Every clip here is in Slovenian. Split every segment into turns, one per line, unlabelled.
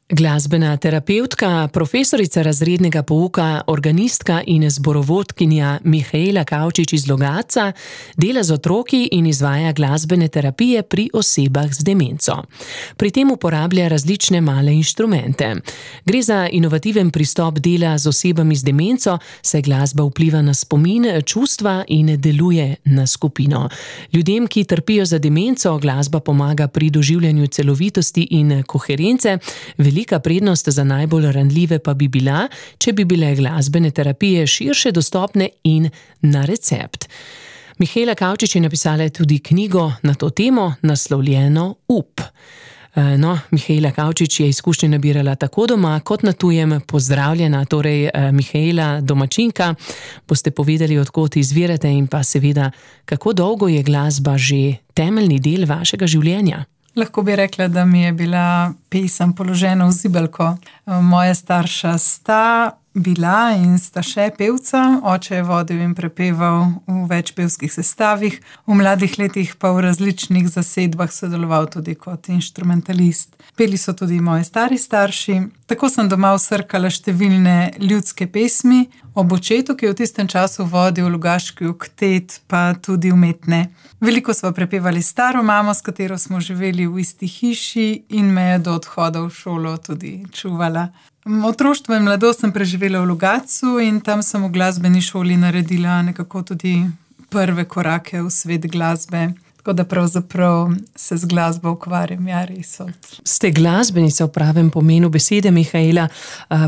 Glasbena terapevtka, profesorica razrednega pouka, organistka in zborovodkinja Mihaela Kavčič iz Logatca dela z otroki in izvaja glasbene terapije pri osebah z demenco. Pri tem uporablja različne male inštrumente. Gre za inovativen pristop dela z osebami z demenco, saj glasba vpliva na spomin, čustva in deluje na skupino. Ljudem, ki trpijo za demenco, glasba pomaga pri doživljanju celovitosti in koherence. Velika prednost za najbolj ranljive pa bi bila, če bi bile glasbene terapije širše dostopne in na recept. Mihaela Kavčič je napisala tudi knjigo na to temo, naslovljeno Up. Mihaela Kavčič je izkušnje nabirala tako doma kot na tujem. Pozdravljena, torej Mihaela, domačinka. Boste povedali, od kod izvirate in pa seveda, kako dolgo je glasba že temeljni del vašega življenja?
Lahko bi rekla, da mi je bila pesem položena v zibelko. Moja starša sta bila in sta še pevca. Oče je vodil in prepeval v več pevskih sestavih. V mladih letih pa v različnih zasedbah sodeloval tudi kot inštrumentalist. Peli so tudi moji stari starši. Tako sem doma vsrkala številne ljudske pesmi. Ob očetu, ki je v tistem času vodil Logaški oktet, pa tudi umetne. Veliko sva prepevali staro mamo, s katero smo živeli v isti hiši in me je do odhoda v šolo tudi čuvala. Otroštvo in mladost sem preživela v Logatcu in tam sem v glasbeni šoli naredila nekako tudi prve korake v svet glasbe. Tako da pravzaprav se z glasbo ukvarjam, res.
Ste glasbenica v pravem pomenu besede, Mihaela,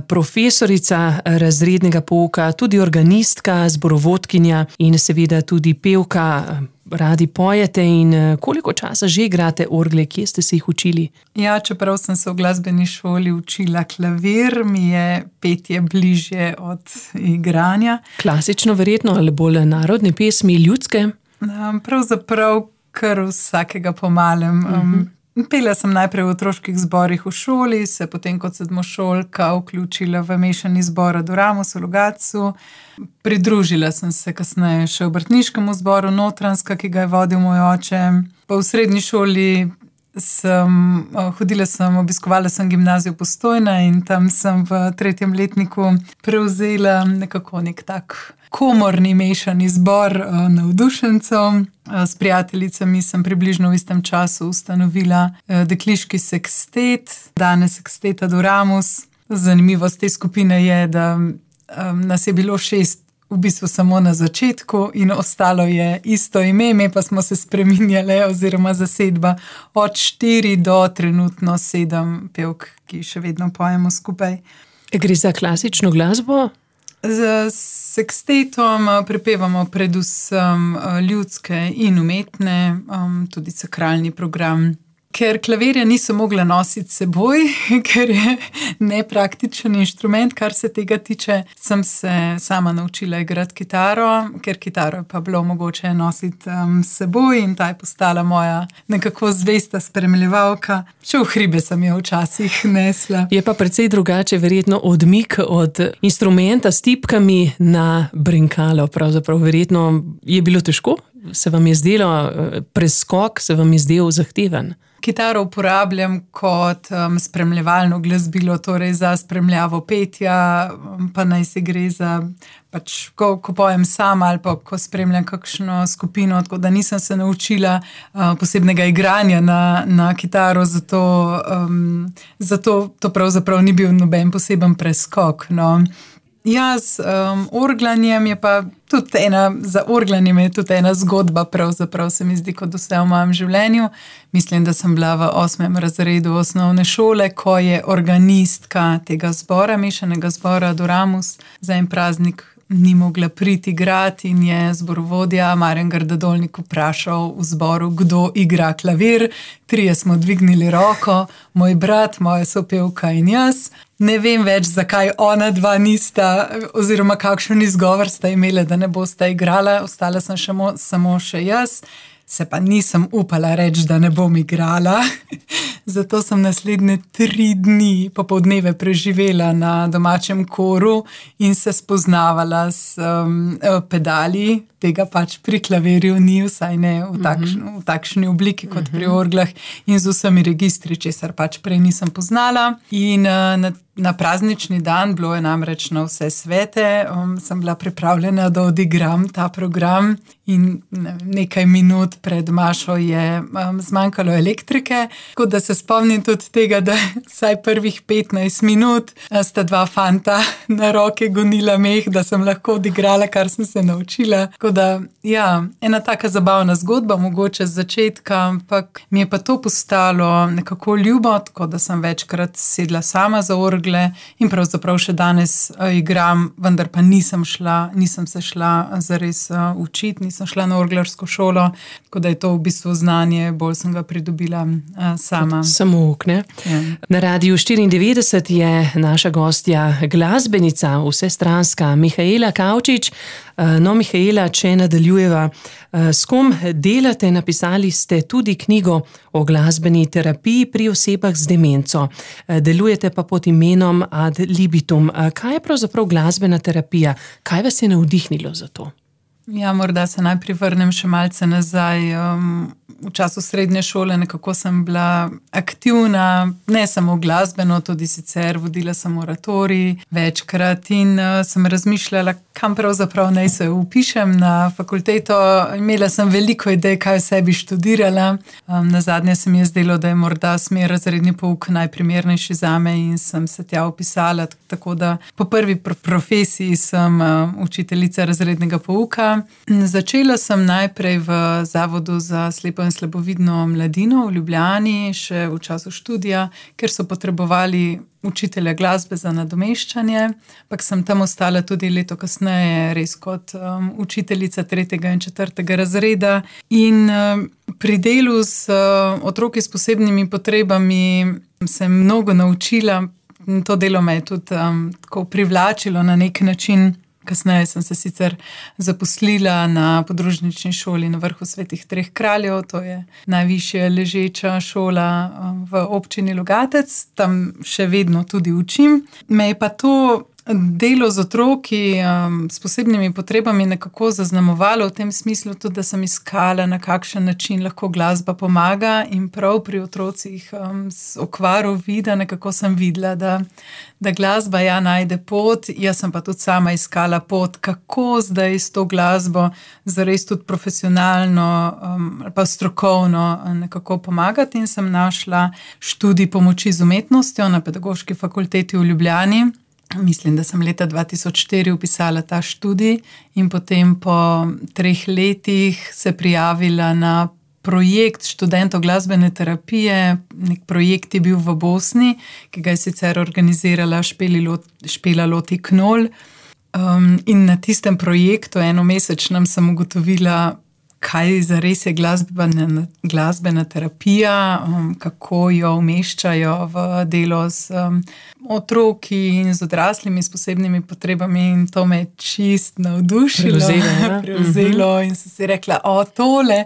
profesorica razrednega pouka, tudi organistka, zborovodkinja in seveda tudi pevka. Radi pojete in koliko časa že igrate orgle, kje ste se jih učili?
Ja, čeprav sem se v glasbeni šoli učila klavir, mi je petje bližje od igranja.
Klasično verjetno ali bolj narodne pesmi, ljudske?
Pravzaprav kar vsakega pomalem. Pela sem najprej v otroških zborih v šoli, se potem kot sedmošolka vključila v mešani zbor Adoramus v Logatcu. Pridružila sem se kasneje še obrtniškemu zboru Notranjska, ki ga je vodil moj oče. Pa v srednji šoli obiskovala sem gimnazijo Postojna in tam sem v 3. letniku prevzela nekako nek tak komorni mešani zbor navdušencev. S prijateljicami sem približno v istem času ustanovila dekliški sekstet, danes sekstet Adoramus. Zanimivost te skupine je, da nas je bilo 6 v bistvu samo na začetku in ostalo je isto ime, ime pa smo se spreminjale oziroma zasedba od 4 do trenutno 7 pevk, ki še vedno pojemo skupaj.
Gre za klasično glasbo?
Z sekstetom prepevamo predvsem ljudske in umetne, tudi sakralni program. Ker klavirja nisem mogla nositi seboj, ker je nepraktičen inštrument, kar se tega tiče, sem se sama naučila igrati kitaro, ker kitaro je pa bilo mogoče nositi seboj in ta je postala moja nekako zvesta spremljevalka. Še v hribe sem jo včasih nesla.
Je pa precej drugače verjetno odmik od instrumenta s tipkami na brenkalo. Pravzaprav verjetno je bilo težko? Se vam je zdelo preskok, se vam je zdel zahteven?
Kitaro uporabljam kot spremljevalno glasbilo, torej za spremljavo petja, pa naj se gre za, ko pojem sama ali pa ko spremljam kakšno skupino, tako da nisem se naučila posebnega igranja na kitaro, zato to pravzaprav ni bil noben poseben preskok, no. Ja, z orglanjem je pa tudi za orglanjem je tudi ena zgodba, pravzaprav se mi zdi kot vse v mojem življenju. Mislim, da sem bila v 8. razredu osnovne šole, ko je organistka tega zbora, mešanega zbora Adoramus, za en praznik ni mogla priti igrati in je zborovodja Marjan Grdadolnik vprašal v zboru, kdo igra klavir. 3 smo dvignili roko, moj brat, moja sopevka in jaz. Ne vem več, zakaj ona 2 nista, oziroma kakšen izgovor sta imela, da ne bosta igrala. Ostala sem samo še jaz. se pa nisem upala reči, da ne bom igrala. Zato sem naslednje 3 dni popoldneve preživela na domačem koru in se spoznavala s pedali. Tega pač pri klavirju ni, vsaj ne v takšni obliki kot pri orglah in z vsemi registri, česar pač prej nisem poznala. In na praznični dan, bilo je namreč na vse svete, sem bila pripravljena, da odigram ta program in nekaj minut pred mašo je zmanjkalo elektrike, tako da se spomnim tudi tega, da vsaj prvih 15 minut sta 2 fanta na roke gonila meh, da sem lahko odigrala, kar sem se naučila. Tako da, ja, ena taka zabavna zgodba, mogoče z začetka, ampak mi je pa to postalo nekako ljubo, tako da sem večkrat sedla sama za orgle in pravzaprav še danes igram, vendar pa nisem se šla zares učiti, nisem šla na orglarsko šolo, tako da je to v bistvu znanje, bolj sem ga pridobila sama.
Samouk, ne? Ja. Na Radiu 94 je naša gostja glasbenica, vsestranska Mihaela Kavčič. No, Mihaela, če nadaljujeva, s kom delate? Napisali ste tudi knjigo o glasbeni terapiji pri osebah z demenco. Delujete pa pod imenom Ad libitum. Kaj je pravzaprav glasbena terapija? Kaj vas je navdihnilo za to?
Ja, morda se najprej vrnem še malce nazaj. V času srednje šole nekako sem bila aktivna, ne samo glasbeno, tudi sicer vodila sem oratorij večkrat in sem razmišljala, kam pravzaprav naj se vpišem na fakulteto. Imela sem veliko idej, kaj vse bi študirala. Nazadnje se mi je zdelo, da je morda smer razredni pouk najprimernejši zame in sem se tja vpisala, tako da po prvi profesiji sem učiteljica razrednega pouka. Začela sem najprej v Zavodu za slepo in slabovidno mladino v Ljubljani, še v času študija, ker so potrebovali učitelja glasbe za nadomeščanje, ampak sem tam ostala tudi leto kasneje, res kot učiteljica 3. in 4. razreda. In pri delu z otroki s posebnimi potrebami sem mnogo naučila. To delo me je tudi tako privlačilo na nek način. Kasneje sem se sicer zaposlila na podružnični šoli na Vrhu Svetih 3 kraljev, to je najvišja ležeča šola v občini Logatec, tam še vedno tudi učim. Me je pa to delo z otroki s posebnimi potrebami nekako zaznamovalo v tem smislu tudi, da sem iskala, na kakšen način lahko glasba pomaga in prav pri otrocih z okvaro vida nekako sem videla, da glasba najde pot, jaz sem pa tudi sama iskala pot, kako zdaj s to glasbo zares tudi profesionalno ali pa strokovno nekako pomagati in sem našla študij pomoči z umetnostjo na Pedagoški fakulteti v Ljubljani. Mislim, da sem leta 2004 vpisala ta študij in potem po 3 letih se prijavila na projekt študentov glasbene terapije. Nek projekt je bil v Bosni, ki ga je sicer organizirala Špela Loti Knol. In na tistem projektu enomesečnem sem ugotovila, kaj zares je glasbena terapija, kako jo umeščajo v delo z otroki in z odraslimi s posebnimi potrebami in to me je čist navdušilo. Prevzelo in sem si rekla, tole.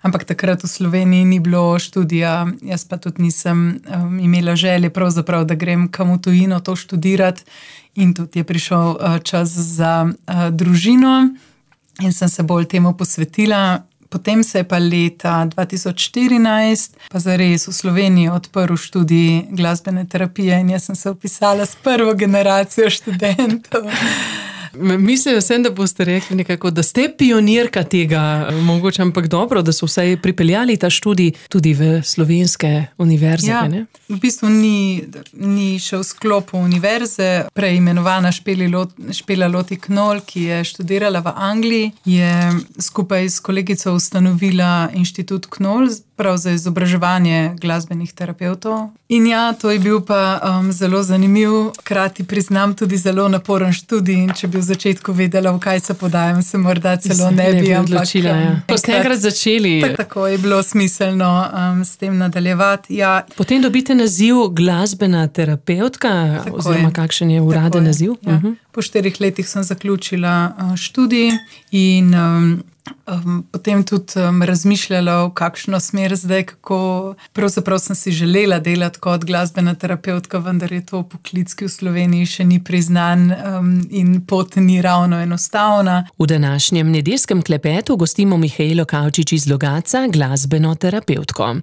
Ampak takrat v Sloveniji ni bilo študija, jaz pa tudi nisem imela želje pravzaprav, da grem kam v tujino to študirati in tudi je prišel čas za družino. In sem se bolj temu posvetila. Potem se je pa leta 2014 pa zares v Sloveniji odprl študij glasbene terapije in jaz sem se vpisala s prvo generacijo študentov.
Mislila sem, da boste rekli nekako, da ste pionirka tega, mogoče, ampak dobro, da so vsaj pripeljali ta študij tudi v slovenske univerze.
Ja,
ne?
V bistvu ni še v sklopu univerze. Preimenovana Špela Loti Knol, ki je študirala v Angliji, je skupaj s kolegico ustanovila Inštitut Knol, prav za izobraževanje glasbenih terapevtov. In ja, to je bil pa zelo zanimiv, hkrati priznam tudi zelo naporen študij in če bi v začetku vedela, v kaj se podajam, se morda celo ne bi
odločila. Ko ste enkrat začeli.
Tako je bilo smiselno s tem nadaljevati. Ja.
Potem dobite naziv glasbena terapevtka, oziroma kakšen je uraden naziv?
Ja. Po 4 letih sem zaključila študij in potem tudi razmišljala, v kakšno smer zdaj, kako pravzaprav sem si želela delati kot glasbena terapevtka, vendar je to poklic, ki v Sloveniji še ni priznan in pot ni ravno enostavna.
V današnjem nedeljskem klepetu gostimo Mihaelo Kavčič iz Logatca, glasbeno terapevtko.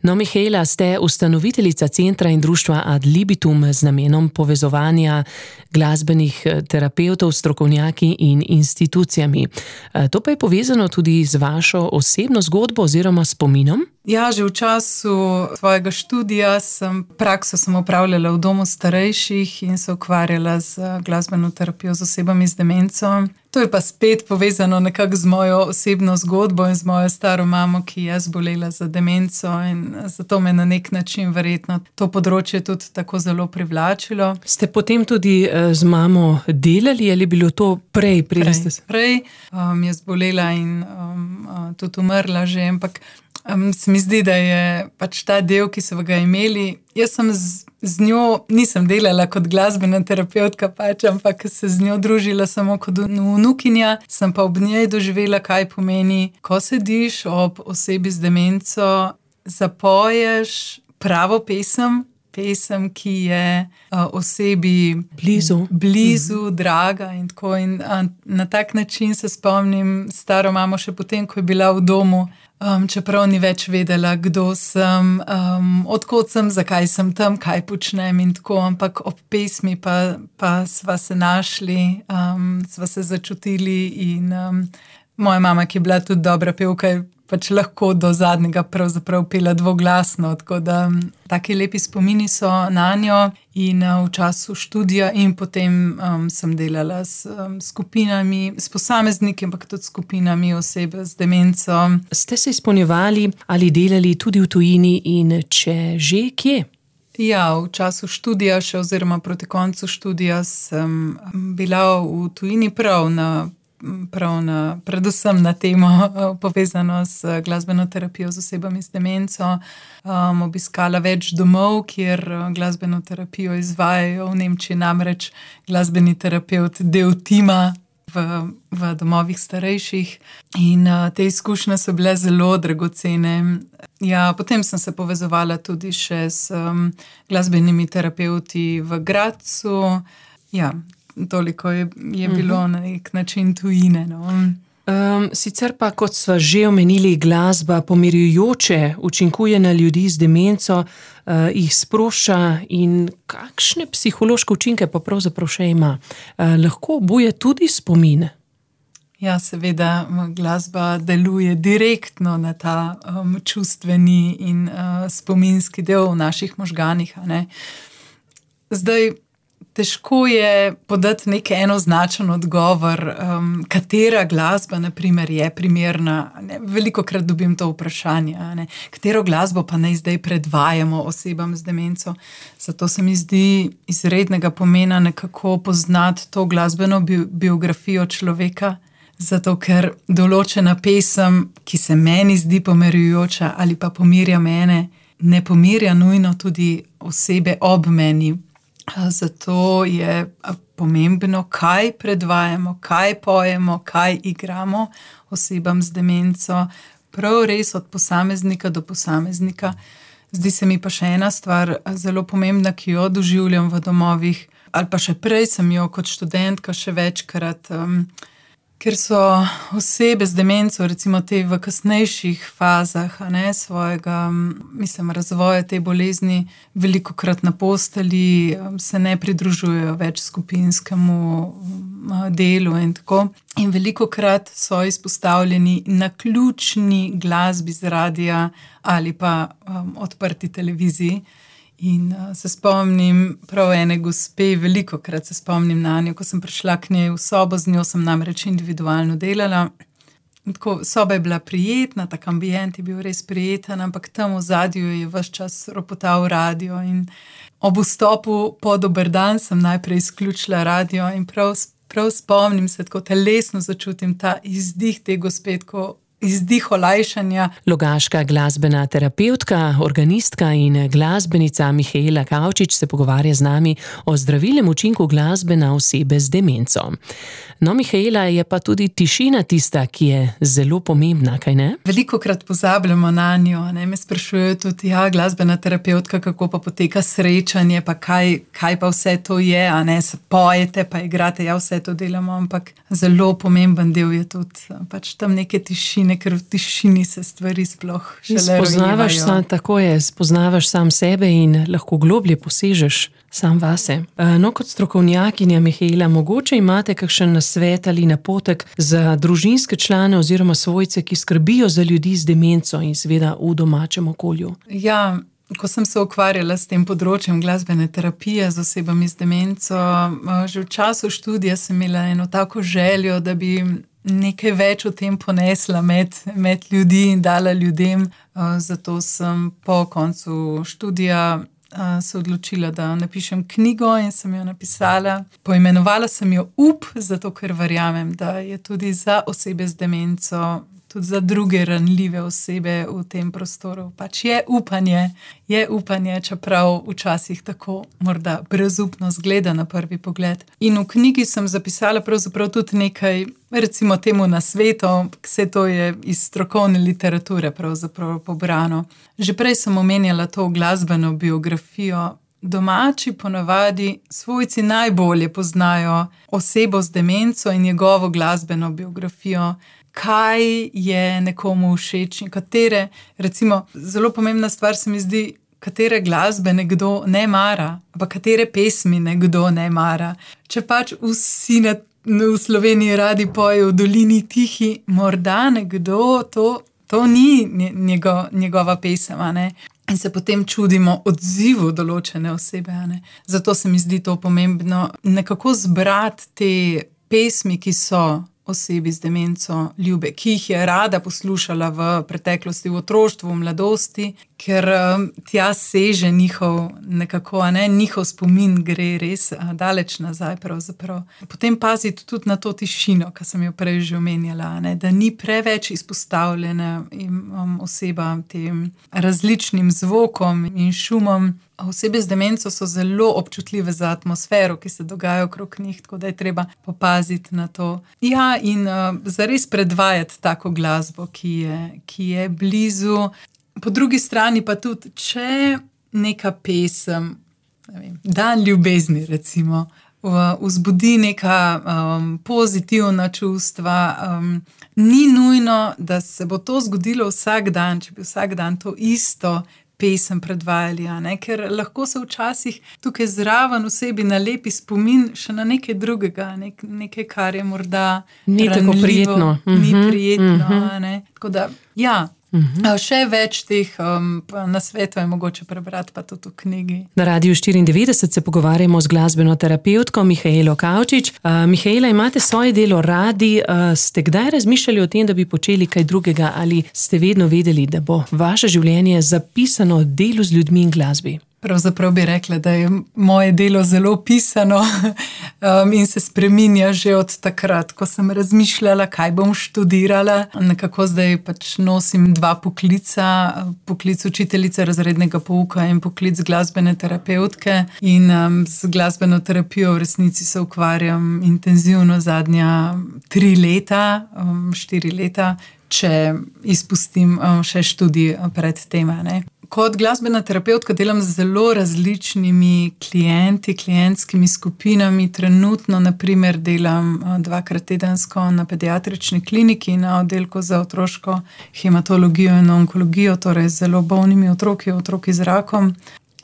No, Mihaela, ste ustanoviteljica centra in društva Ad Libitum z namenom povezovanja glasbenih terapevtov, strokovnjaki in institucijami. To pa je povezano tudi z vašo osebno zgodbo oziroma spominom?
Ja, že v času svojega študija prakso sem opravljala v domu starejših in se ukvarjala z glasbeno terapijo z osebami z demenco. To je pa spet povezano nekako z mojo osebno zgodbo in z mojo staro mamo, ki je zbolela za demenco, in zato me na nek način verjetno to področje tudi tako zelo privlačilo.
Ste potem tudi z mamo delali ali je bilo to prej?
Prej je zbolela in tudi umrla že, ampak se mi zdi, da je pač ta del, ki so ga imeli. Jaz sem z njo, nisem delala kot glasbena terapevtka pač, ampak se z njo družila samo kot vnukinja, sem pa ob njej doživela, kaj pomeni, ko sediš ob osebi z demenco, zapoješ pravo pesem, ki je osebi blizu, draga in tako. In na tak način se spomnim staro mamo še potem, ko je bila v domu, čeprav ni več vedela, kdo sem, odkot sem, zakaj sem tam, kaj počnem in tako, ampak ob pesmi pa sva se našli, sva se začutili in moja mama, ki je bila tudi dobra pevka, je pač lahko do zadnjega pravzaprav pela dvoglasno, tako da taki lepi spomini so nanjo. In v času študija in potem sem delala s skupinami, s posamezniki, ampak tudi skupinami oseb z demenco.
Ste se izpolnjevali ali delali tudi v tujini in če že, kje?
Ja, v času študija še oziroma proti koncu študija sem bila v tujini predvsem na temo povezano s glasbeno terapijo z osebami z demenco. Obiskala več domov, kjer glasbeno terapijo izvajajo. V Nemčiji namreč glasbeni terapevt del tima v domovih starejših in te izkušnje so bile zelo dragocene. Ja, potem sem se povezovala tudi še s glasbenimi terapevti v Gradcu. Ja, toliko je bilo na nek način tujine. No.
Sicer pa, kot sva že omenili, glasba pomirjujoče učinkuje na ljudi z demenco, jih sprošča in kakšne psihološke učinke pa pravzaprav še ima. Lahko obuje tudi spomin.
Ja, seveda, glasba deluje direktno na ta čustveni in spominski del v naših možganih. Zdaj, težko je podati nek enoznačen odgovor, katera glasba, na primer, je primerna. Velikokrat dobim to vprašanje, katero glasbo pa naj zdaj predvajamo osebam z demenco. Zato se mi zdi izrednega pomena nekako poznati to glasbeno biografijo človeka, zato ker določena pesem, ki se meni zdi pomirjujoča ali pa pomirja mene, ne pomirja nujno tudi osebe ob meni. Zato je pomembno, kaj predvajamo, kaj pojemo, kaj igramo osebam z demenco, prav res od posameznika do posameznika. Zdi se mi pa še ena stvar zelo pomembna, ki jo doživljam v domovih, ali pa še prej sem jo kot študentka še večkrat, ker so osebe z demenco, recimo te v kasnejših fazah svojega, razvoja te bolezni, velikokrat na postelji, se ne pridružujejo več skupinskemu delu in tako. In velikokrat so izpostavljeni naključni glasbi z radia ali pa odprti televiziji. In se spomnim prav ene gospe, velikokrat se spomnim na njo, ko sem prišla k njej v sobo, z njo sem namreč individualno delala. Tako, soba je bila prijetna, tak ambient je bil res prijeten, ampak tam v zadju je ves čas ropotal radio in ob vstopu po dober dan sem najprej izključila radio in prav spomnim se, tako telesno začutim ta izdih te gospe, tako izdih olajšanja.
Logaška glasbena terapevtka, organistka in glasbenica Mihaela Kavčič se pogovarja z nami o zdravilnem učinku glasbe na osebe z demenco. No, Mihaela, je pa tudi tišina tista, ki je zelo pomembna, kaj ne?
Velikokrat pozabljamo na njo, ne? Me sprašujejo tudi, glasbena terapevtka, kako pa poteka srečanje, pa kaj pa vse to je, a ne, se pojete, pa igrate, vse to delamo, ampak zelo pomemben del je tudi pač tam neke tišine, ker v tišini se stvari sploh šele rojevajo.
Tako je, spoznavaš sam sebe in lahko globlje posežeš sam vase. No, kot strokovnjakinja, Mihaela, mogoče imate kakšen nasvet ali napotek za družinske člane oziroma svojce, ki skrbijo za ljudi z demenco in seveda v domačem okolju?
Ja, ko sem se ukvarjala s tem področjem glasbene terapije z osebami z demenco, že v času študija sem imela eno tako željo, da bi nekaj več o tem ponesla med ljudi in dala ljudem. Zato sem po koncu študija se odločila, da napišem knjigo in sem jo napisala. Poimenovala sem jo Up, zato ker verjamem, da je tudi za osebe z demenco, tudi za druge ranljive osebe v tem prostoru. Pač je upanje, čeprav včasih tako morda brezupno zgleda na prvi pogled. In v knjigi sem zapisala pravzaprav tudi nekaj, recimo temu nasvetov, vse to je iz strokovne literature pravzaprav pobrano. Že prej sem omenjala to glasbeno biografijo. Domači ponavadi svojci najbolje poznajo osebo z demenco in njegovo glasbeno biografijo. Kaj je nekomu všeč in katere, recimo, zelo pomembna stvar se mi zdi, katere glasbe nekdo ne mara, pa katere pesmi nekdo ne mara. Če pač vsi v Sloveniji radi pojejo v Dolini tihi, morda nekdo to ni njegova pesem, a ne? In se potem čudimo odzivu določene osebe, a ne? Zato se mi zdi to pomembno, nekako zbrati te pesmi, ki so osebi z demenco ljube, ki jih je rada poslušala v preteklosti, v otroštvu, v mladosti, ker tja seže njihov spomin gre res daleč nazaj pravzaprav. Potem paziti tudi na to tišino, ki sem jo prej že omenjala, ne, da ni preveč izpostavljena oseba tem različnim zvokom in šumom. Osebe z demenco so zelo občutljive za atmosfero, ki se dogaja okrog njih, tako da je treba popaziti na to. Ja, in zares predvajati tako glasbo, ki je blizu. Po drugi strani pa tudi, če neka pesem, Dan ljubezni recimo, vzbudi neka pozitivna čustva, ni nujno, da se bo to zgodilo vsak dan, če bi vsak dan to isto pesem predvajali, a ne? Ker lahko se včasih tukaj zraven osebi nalepi spomin še na nekaj drugega, nekaj, kar je morda
ni tako prijetno.
Ni prijetno, a ne? Tako da, še več teh nasvetov je mogoče prebrati pa tudi v knjigi.
Na Radiu 94 se pogovarjamo z glasbeno terapevtko Mihaelo Kavčič. Mihaela, imate svoje delo radi. Ste kdaj razmišljali o tem, da bi počeli kaj drugega, ali ste vedno vedeli, da bo vaše življenje zapisano delu z ljudmi in glasbi?
Pravzaprav bi rekla, da je moje delo zelo pisano in se spreminja že od takrat, ko sem razmišljala, kaj bom študirala. Nekako zdaj pač nosim dva poklica, poklic učiteljice razrednega pouka in poklic glasbene terapevtke. In z glasbeno terapijo v resnici se ukvarjam intenzivno zadnja 3 leta, 4 leta, če izpustim še študij pred tem, ne. Kot glasbena terapevtka delam z zelo različnimi klienti, klientskimi skupinami. Trenutno, na primer, delam 2-krat tedensko na pediatrični kliniki na oddelku za otroško hematologijo in onkologijo, torej z zelo bolnimi otroki z rakom.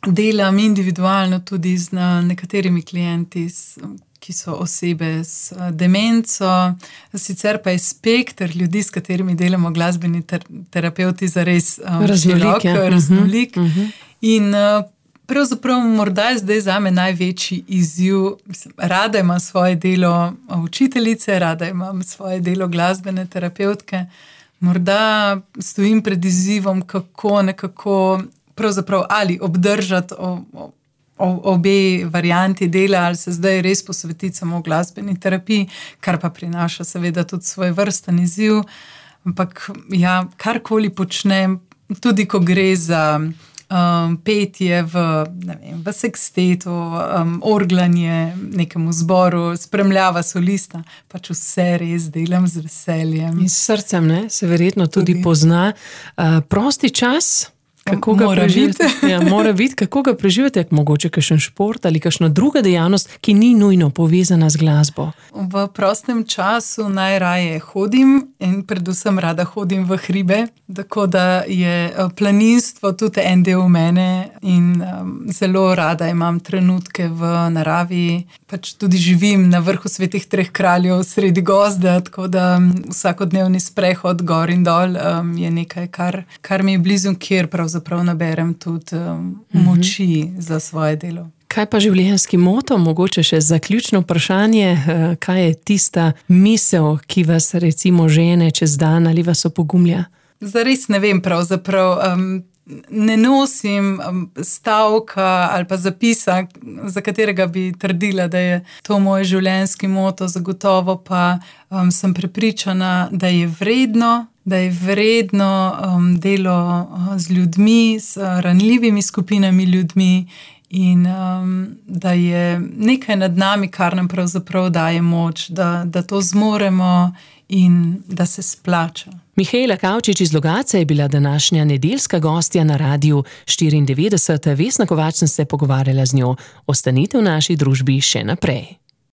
Delam individualno tudi z nekaterimi klienti, ki so osebe s demenco. Sicer pa je spekter ljudi, s katerimi delamo glasbeni terapevti, zares raznolik. In pravzaprav morda je zdaj zame največji izziv. Rada imam svoje delo učiteljice, rada imam svoje delo glasbene terapevtke. Morda stojim pred izzivom, kako nekako pravzaprav ali obdržati obe varianti dela, ali se zdaj res posvetiti samo glasbeni terapiji, kar pa prinaša seveda tudi svoj vrsten izziv. Ampak karkoli počnem, tudi ko gre za petje v sekstetu, orglanje nekemu zboru, spremljava solista, pač vse res delam z veseljem.
In s srcem, ne? Se verjetno tudi pozna. Prosti čas, kako ga preživite? Ja, mora biti, kako ga preživite, mogoče kakšen šport ali kakšna druga dejavnost, ki ni nujno povezana z glasbo.
V prostem času najraje hodim in predvsem rada hodim v hribe, tako da je planinstvo tudi en del mene in zelo rada imam trenutke v naravi. Pač tudi živim na vrhu Svetih treh kraljev sredi gozda, tako da vsakodnevni sprehod gor in dol je nekaj, kar mi je blizu, kjer pravzaprav naberem tudi moči za svoje delo.
Kaj pa življenjski moto? Mogoče še zaključno vprašanje, kaj je tista misel, ki vas recimo žene čez dan ali vas opogumlja?
Zares ne vem pravzaprav. Ne nosim stavka ali pa zapisa, za katerega bi trdila, da je to moj življenjski moto, zagotovo pa sem prepričana, da je vredno delo z ljudmi, s ranljivimi skupinami ljudmi in da je nekaj nad nami, kar nam pravzaprav daje moč, da to zmoremo in da se splača.
Mihaela Kavčič iz Logatca je bila današnja nedeljska gostja na Radiu 94. Vesna Kovač sem se pogovarjala z njo. Ostanite v naši družbi še naprej.